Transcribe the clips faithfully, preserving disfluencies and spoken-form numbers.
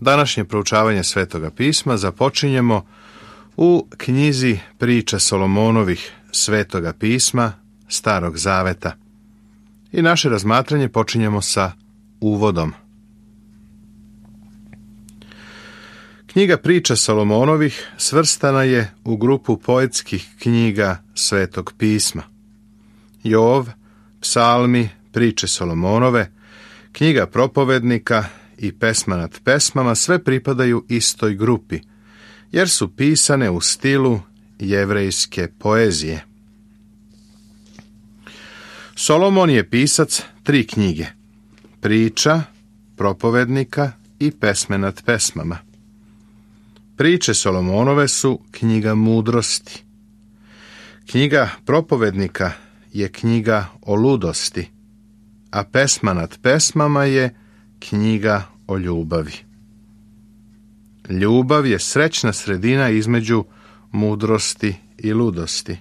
Današnje proučavanje Svetoga pisma započinjemo u knjizi Priča Solomonovih Svetoga pisma Starog zaveta. I naše razmatranje počinjemo sa uvodom. Knjiga Priča Solomonovih svrstana je u grupu poetskih knjiga Svetog pisma. Jov, Psalmi, Priče Solomonove, knjiga propovednika i pesma nad pesmama sve pripadaju istoj grupi, jer su pisane u stilu jevrejske poezije. Solomon je pisac tri knjige: Priča, propovednika i pesme nad pesmama. Priče Solomonove su knjiga mudrosti. Knjiga propovednika je knjiga o ludosti, a pesma nad pesmama je knjiga o ljubavi. Ljubav je srećna sredina između mudrosti i ludosti.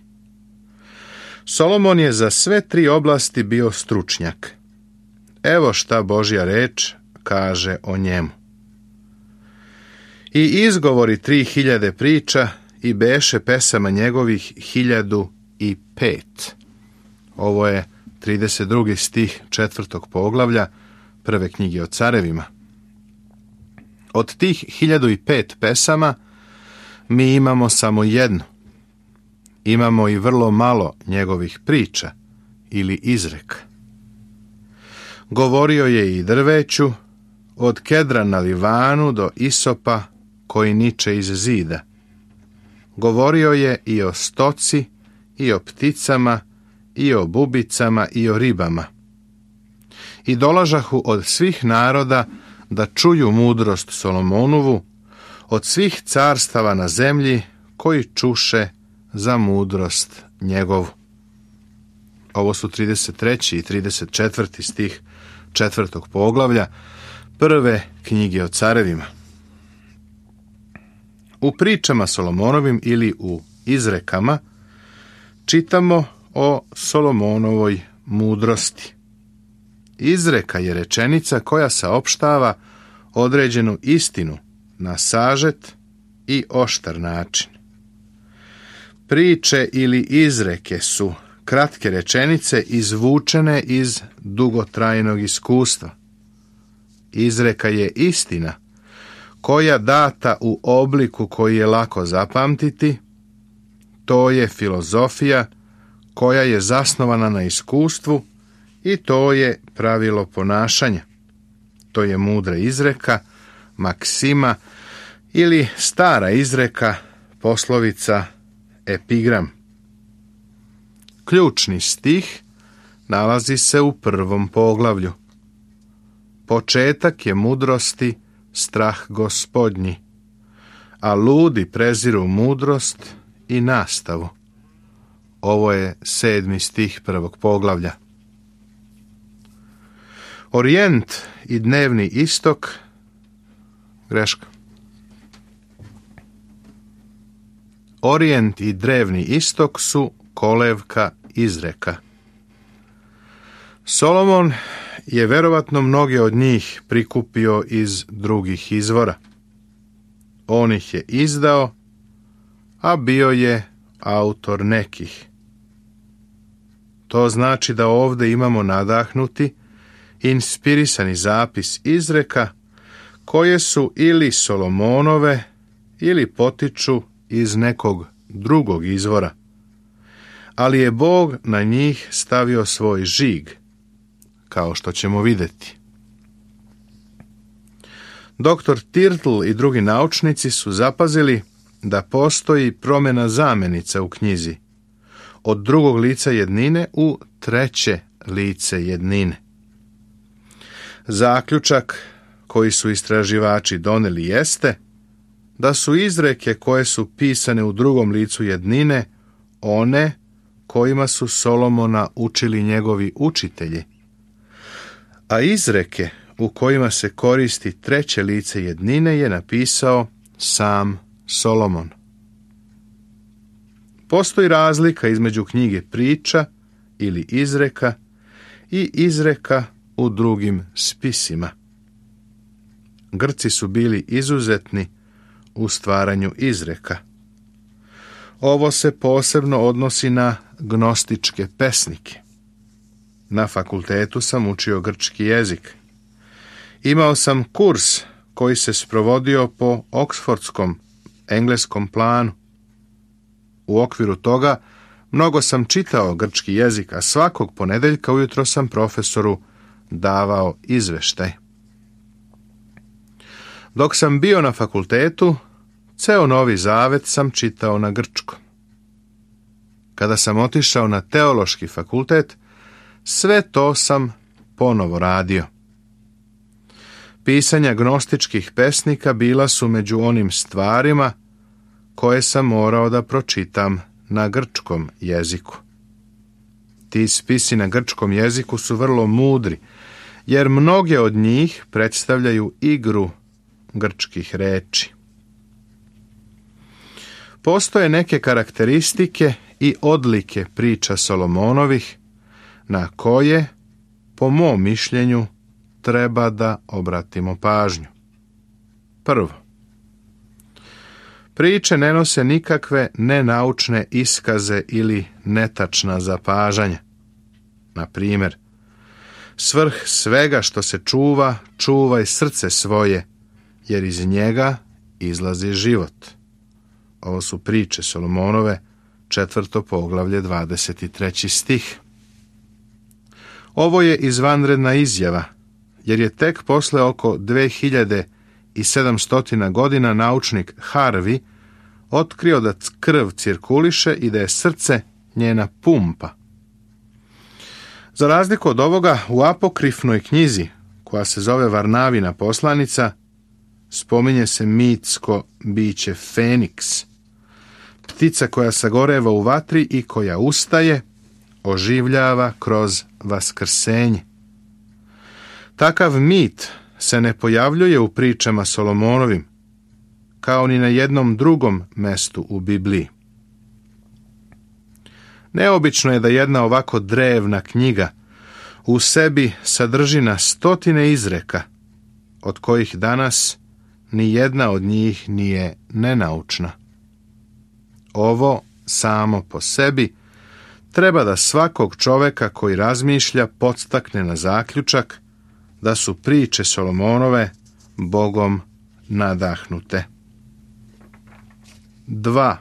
Solomon je za sve tri oblasti bio stručnjak. Evo šta Božja reč kaže o njemu. I izgovori tri hiljade priča i beše pesama njegovih hiljadu i pet. Ovo je trideset drugi stih četvrtog poglavlja prve knjige o carevima. Od tih hiljadu i pet pesama mi imamo samo jednu. Imamo i vrlo malo njegovih priča ili izreka. Govorio je i drveću, od kedra na Livanu do isopa koji niče iz zida. Govorio je i o stoci, i o pticama, i o bubicama, i o ribama. I dolažahu od svih naroda da čuju mudrost Solomonovu, od svih carstava na zemlji koji čuše za mudrost njegovu. Ovo su trideset treći i trideset četvrti stih četvrtog poglavlja prve knjige o carevima. U pričama Solomonovim ili u izrekama čitamo o Solomonovoj mudrosti. Izreka je rečenica koja saopštava određenu istinu na sažet i oštar način. Priče ili izreke su kratke rečenice izvučene iz dugotrajnog iskustva. Izreka je istina koja data u obliku koji je lako zapamtiti. To je filozofija koja je zasnovana na iskustvu i to je pravilo ponašanja. To je mudra izreka, maksima ili stara izreka, poslovica, epigram. Ključni stih nalazi se u prvom poglavlju. Početak je mudrosti strah Gospodnji, a ludi preziru mudrost i nastavu. Ovo je sedmi stih prvog poglavlja. Orijent i dnevni istok, greška. Orijent i drevni istok su kolevka izreka. Solomon je verovatno mnoge od njih prikupio iz drugih izvora. On ih je izdao, a bio je autor nekih. To znači da ovdje imamo nadahnuti, inspirisani zapis izreka koje su ili Solomonove ili potiču iz nekog drugog izvora, ali je Bog na njih stavio svoj žig, kao što ćemo vidjeti. Doktor Tirtl i drugi naučnici su zapazili da postoji promjena zamenica u knjizi, od drugog lica jednine u treće lice jednine. Zaključak koji su istraživači doneli jeste da su izreke koje su pisane u drugom licu jednine one kojima su Solomona učili njegovi učitelji, a izreke u kojima se koristi treće lice jednine je napisao sam Solomon. Postoji razlika između knjige priča ili izreka i izreka u drugim spisima. Grci su bili izuzetni u stvaranju izreka. Ovo se posebno odnosi na gnostičke pesnike. Na fakultetu sam učio grčki jezik. Imao sam kurs koji se sprovodio po oksfordskom engleskom planu. U okviru toga mnogo sam čitao grčki jezik, a svakog ponedeljka ujutro sam profesoru davao izveštaj. Dok sam bio na fakultetu, ceo Novi Zavet sam čitao na grčkom. Kada sam otišao na teološki fakultet, sve to sam ponovo radio. Pisanja gnostičkih pesnika bila su među onim stvarima koje sam morao da pročitam na grčkom jeziku. Ti spisi na grčkom jeziku su vrlo mudri, jer mnoge od njih predstavljaju igru grčkih reči. Postoje neke karakteristike i odlike priča Solomonovih na koje, po mom mišljenju, treba da obratimo pažnju. Prvo, priče ne nose nikakve nenaučne iskaze ili netačna zapažanja. Na primjer, svrh svega što se čuva, čuvaj srce svoje, jer iz njega izlazi život. Ovo su priče Solomonove, četvrto poglavlje, dvadeset treći stih. Ovo je izvanredna izjava, jer je tek posle oko dve hiljade sedamsto godina naučnik Harvey otkrio da krv cirkuliše i da je srce njena pumpa. Za razliku od ovoga, u apokrifnoj knjizi, koja se zove Varnavina poslanica, spominje se mitsko biće Feniks, ptica koja sagoreva u vatri i koja ustaje, oživljava kroz vaskrsenje. Takav mit se ne pojavljuje u pričama Solomonovim, kao ni na jednom drugom mestu u Bibliji. Neobično je da jedna ovako drevna knjiga u sebi sadrži na stotine izreka, od kojih danas ni jedna od njih nije nenaučna. Ovo samo po sebi treba da svakog čoveka koji razmišlja podstakne na zaključak da su priče Solomonove Bogom nadahnute. Dva.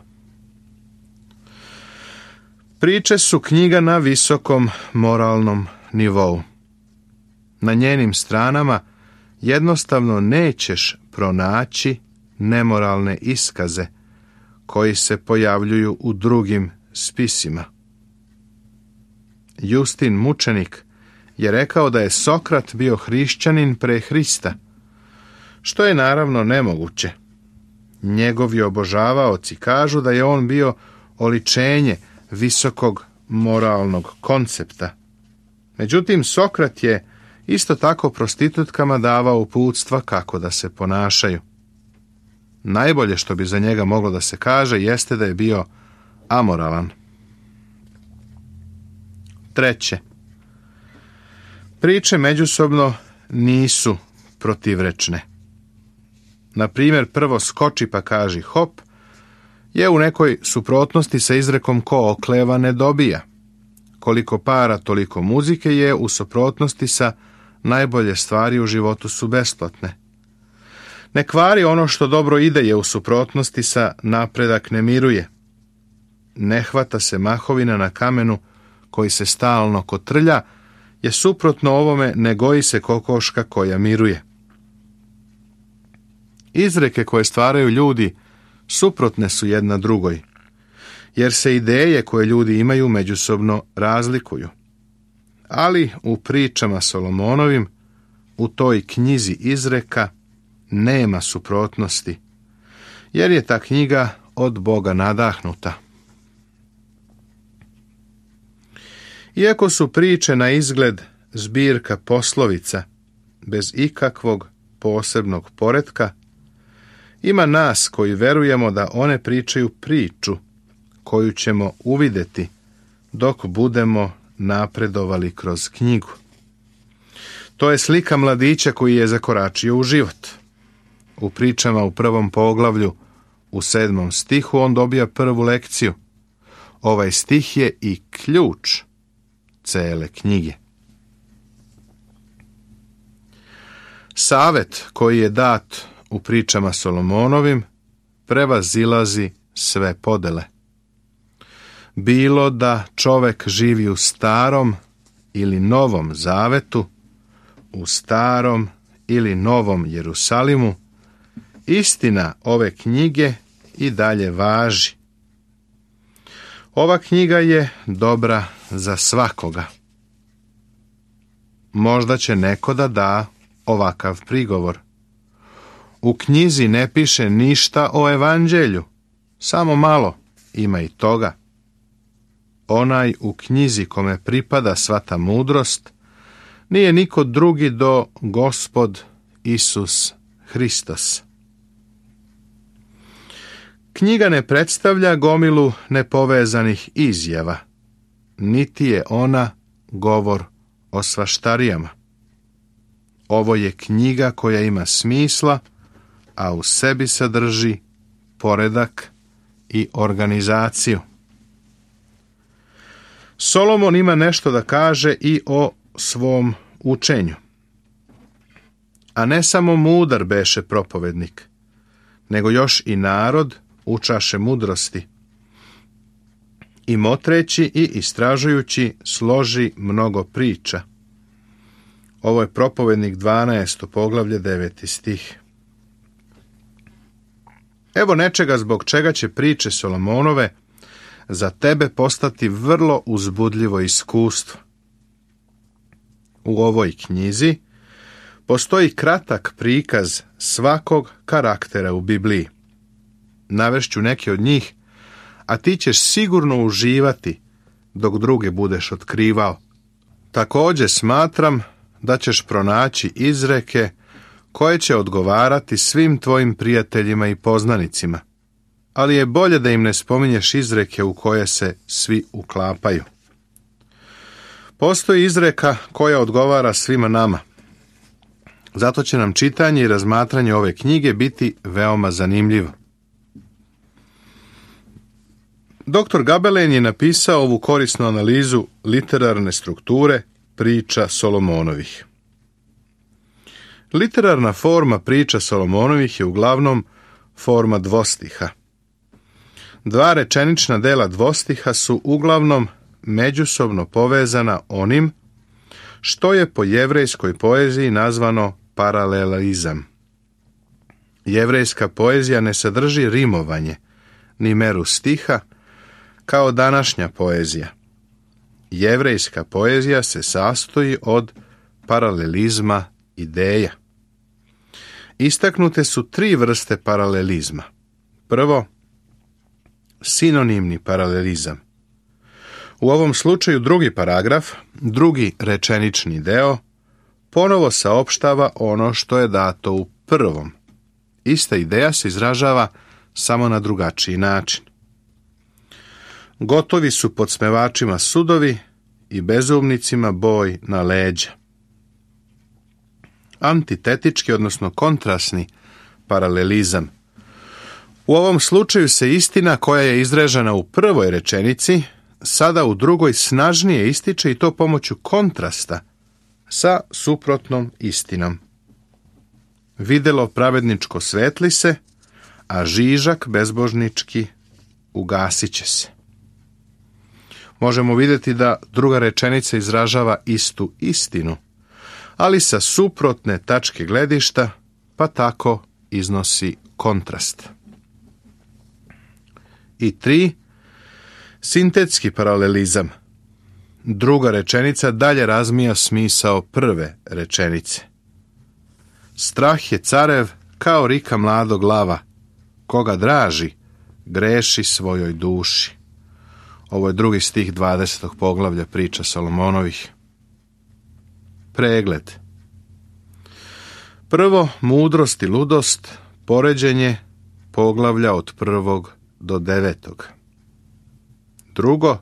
Priče su knjiga na visokom moralnom nivou. Na njenim stranama jednostavno nećeš pronaći nemoralne iskaze koji se pojavljuju u drugim spisima. Justin mučenik je rekao da je Sokrat bio hrišćanin pre Hrista, što je naravno nemoguće. Njegovi obožavaoci kažu da je on bio oličenje visokog moralnog koncepta. Međutim, Sokrat je isto tako prostitutkama davao uputstva kako da se ponašaju. Najbolje što bi za njega moglo da se kaže jeste da je bio amoralan. Treće. Priče međusobno nisu protivrečne. Na primjer, prvo skoči pa kaži hop je u nekoj suprotnosti sa izrekom ko okleva ne dobija. Koliko para, toliko muzike je u suprotnosti sa najbolje stvari u životu su besplatne. Ne kvari ono što dobro ide je u suprotnosti sa napredak ne miruje. Ne hvata se mahovina na kamenu koji se stalno kotrlja, je suprotno ovome ne goji se kokoška koja miruje. Izreke koje stvaraju ljudi suprotne su jedna drugoj, jer se ideje koje ljudi imaju međusobno razlikuju. Ali u pričama Solomonovim, u toj knjizi izreka, nema suprotnosti, jer je ta knjiga od Boga nadahnuta. Iako su priče na izgled zbirka poslovica, bez ikakvog posebnog poretka, ima nas koji verujemo da one pričaju priču koju ćemo uvideti dok budemo napredovali kroz knjigu. To je slika mladića koji je zakoračio u život. u pričama u prvom poglavlju, u sedmom stihu, on dobija prvu lekciju. Ovaj stih je i ključ cele knjige. Savet koji je dat u pričama Solomonovim prevazilazi sve podele. Bilo da čovek živi u starom ili novom zavetu, u starom ili novom Jerusalimu, istina ove knjige i dalje važi. Ova knjiga je dobra za svakoga. Možda će neko da da ovakav prigovor. U knjizi ne piše ništa o evanđelju, samo malo, ima i toga. Onaj u knjizi kome pripada sva ta mudrost nije niko drugi do Gospod Isus Hristos. Knjiga ne predstavlja gomilu nepovezanih izjava, niti je ona govor o svaštarijama. Ovo je knjiga koja ima smisla, a u sebi sadrži poredak i organizaciju. Solomon ima nešto da kaže i o svom učenju. A ne samo mudar beše propovednik, nego još i narod učaše mudrosti. I motreći i istražujući složi mnogo priča. Ovo je propovednik dvanaesto poglavlje deveti stih. Evo nečega zbog čega će priče Solomonove za tebe postati vrlo uzbudljivo iskustvo. U ovoj knjizi postoji kratak prikaz svakog karaktera u Bibliji. Navešću neke od njih, a ti ćeš sigurno uživati dok druge budeš otkrivao. Također smatram da ćeš pronaći izreke koje će odgovarati svim tvojim prijateljima i poznanicima, ali je bolje da im ne spominješ izreke u koje se svi uklapaju. Postoji izreka koja odgovara svima nama. Zato će nam čitanje i razmatranje ove knjige biti veoma zanimljivo. Doktor Gabelen je napisao ovu korisnu analizu literarne strukture priča Solomonovih. Literarna forma priča Solomonovih je uglavnom forma dvostiha. Dva rečenična dela dvostiha su uglavnom međusobno povezana onim što je po jevrejskoj poeziji nazvano paralelizam. Jevrejska poezija ne sadrži rimovanje, ni meru stiha, kao današnja poezija. Jevrejska poezija se sastoji od paralelizma ideja. Istaknute su tri vrste paralelizma. Prvo, sinonimni paralelizam. U ovom slučaju drugi paragraf, drugi rečenični deo, ponovo saopštava ono što je dato u prvom. Ista ideja se izražava samo na drugačiji način. Gotovi su podsmevačima sudovi i bezumnicima boj na leđa. Antitetički, odnosno kontrasni paralelizam. U ovom slučaju se istina koja je izražena u prvoj rečenici sada u drugoj snažnije ističe, i to pomoću kontrasta sa suprotnom istinom. Videlo pravedničko svetli se, a žižak bezbožnički ugasit će se. Možemo vidjeti da druga rečenica izražava istu istinu, ali sa suprotne tačke gledišta, pa tako iznosi kontrast. I tri, sintetski paralelizam. Druga rečenica dalje razmija smisao prve rečenice. Strah je carev kao rika mladog lava, koga draži, greši svojoj duši. Ovo je drugi stih dvadesetog poglavlja priča Solomonovih. Pregled. Prvo, mudrost i ludost, poređenje poglavlja od prvog do devetog. Drugo,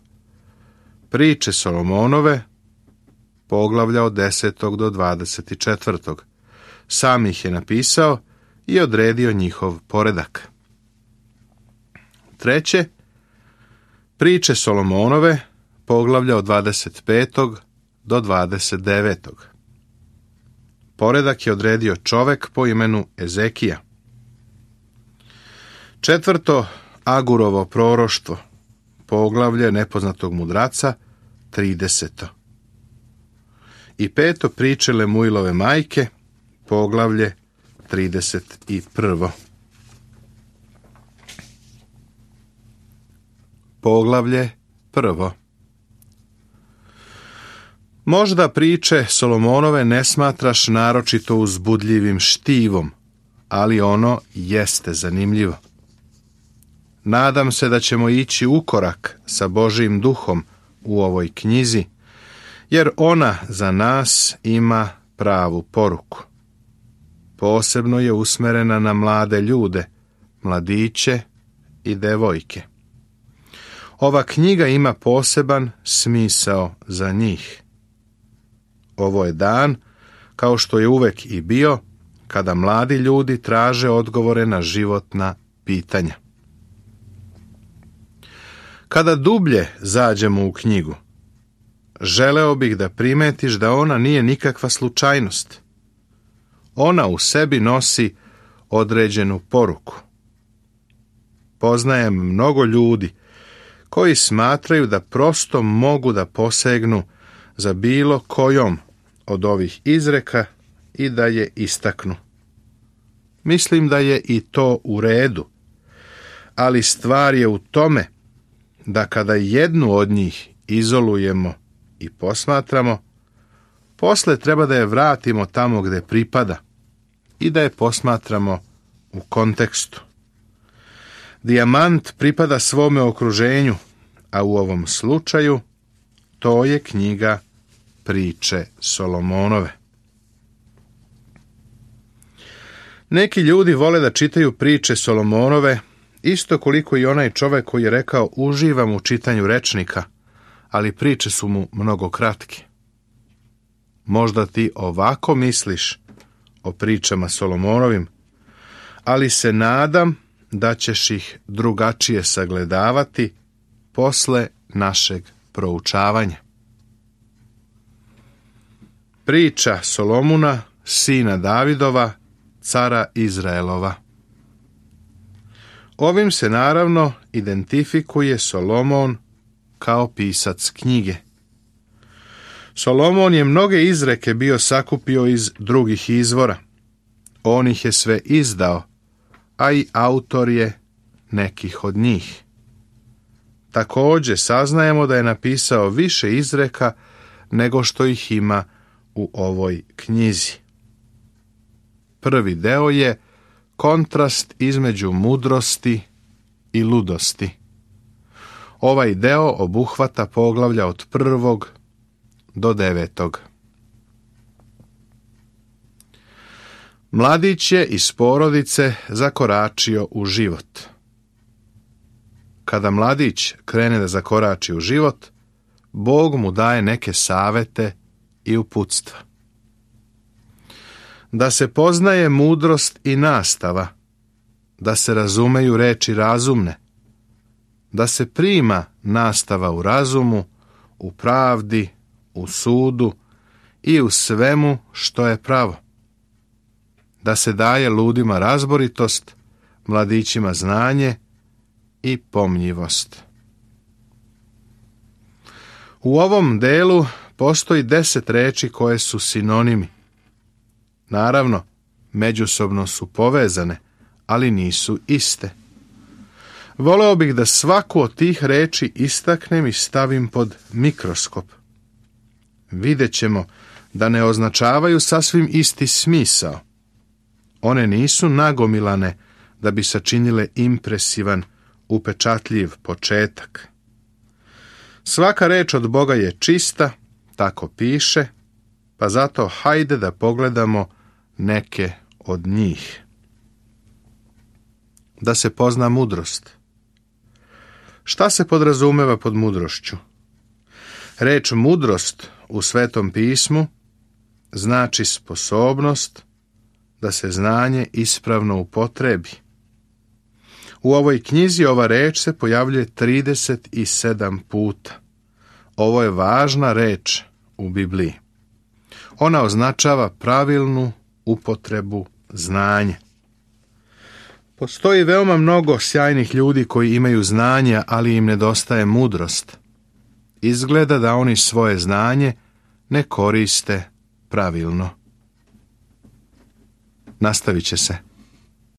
priče Solomonove, poglavlja od desetog do dvadeset četvrtog. Sam ih je napisao i odredio njihov poredak. Treće, priče Solomonove, poglavlja od dvadeset petog do dvadeset devetog Poredak je odredio čovek po imenu Ezekija. Četvrto, Agurovo proroštvo, poglavlje nepoznatog mudraca, trideseto I peto, priče Lemuilove majke, poglavlje trideset prvo Poglavlje prvo. Možda priče Solomonove ne smatraš naročito uzbudljivim štivom, ali ono jeste zanimljivo. Nadam se da ćemo ići u korak sa Božjim duhom u ovoj knjizi, jer ona za nas ima pravu poruku. Posebno je usmerena na mlade ljude, mladiće i devojke. Ova knjiga ima poseban smisao za njih. Ovo je dan, kao što je uvek i bio, kada mladi ljudi traže odgovore na životna pitanja. Kada dublje zađemo u knjigu, želeo bih da primetiš da ona nije nikakva slučajnost. Ona u sebi nosi određenu poruku. Poznajem mnogo ljudi koji smatraju da prosto mogu da posegnu za bilo kojom od ovih izreka i da je istaknu. Mislim da je i to u redu, ali stvar je u tome da kada jednu od njih izolujemo i posmatramo, posle treba da je vratimo tamo gde pripada i da je posmatramo u kontekstu. Dijamant pripada svome okruženju, a u ovom slučaju to je knjiga priče Solomonove. Neki ljudi vole da čitaju priče Solomonove, isto koliko i onaj čovek koji je rekao uživam u čitanju rečnika, ali priče su mu mnogo kratke. Možda ti ovako misliš o pričama Solomonovim, ali se nadam da ćeš ih drugačije sagledavati posle našeg proučavanja. Priča Solomuna, sina Davidova, cara Izraelova. Ovim se naravno identifikuje Solomon kao pisac knjige. Solomon je mnoge izreke bio sakupio iz drugih izvora. On ih je sve izdao, a i autor je nekih od njih. Također saznajemo da je napisao više izreka nego što ih ima u ovoj knjizi. Prvi deo je kontrast između mudrosti i ludosti. Ovaj deo obuhvata poglavlja od prvog do devetog. Mladić je iz porodice zakoračio u život. Kada mladić krene da zakorači u život, Bog mu daje neke savete i uputstva. Da se poznaje mudrost i nastava, da se razumeju reči razumne, da se prima nastava u razumu, u pravdi, u sudu i u svemu što je pravo. Da se daje ludima razboritost, mladićima znanje i pomnjivost. U ovom delu postoji deset reči koje su sinonimi. Naravno, međusobno su povezane, ali nisu iste. Voleo bih da svaku od tih reči istaknem i stavim pod mikroskop. Vidjet ćemo da ne označavaju sasvim isti smisao. One nisu nagomilane da bi sačinile impresivan, upečatljiv početak. Svaka reč od Boga je čista, tako piše, pa zato hajde da pogledamo neke od njih. Da se pozna mudrost. Šta se podrazumeva pod mudrošću? Reč mudrost u Svetom pismu znači sposobnost da se znanje ispravno upotrebi. U ovoj knjizi ova reč se pojavljuje trideset sedam puta. Ovo je važna reč u Bibliji. Ona označava pravilnu upotrebu znanja. Postoji veoma mnogo sjajnih ljudi koji imaju znanja, ali im nedostaje mudrost. Izgleda da oni svoje znanje ne koriste pravilno. Nastavit će se.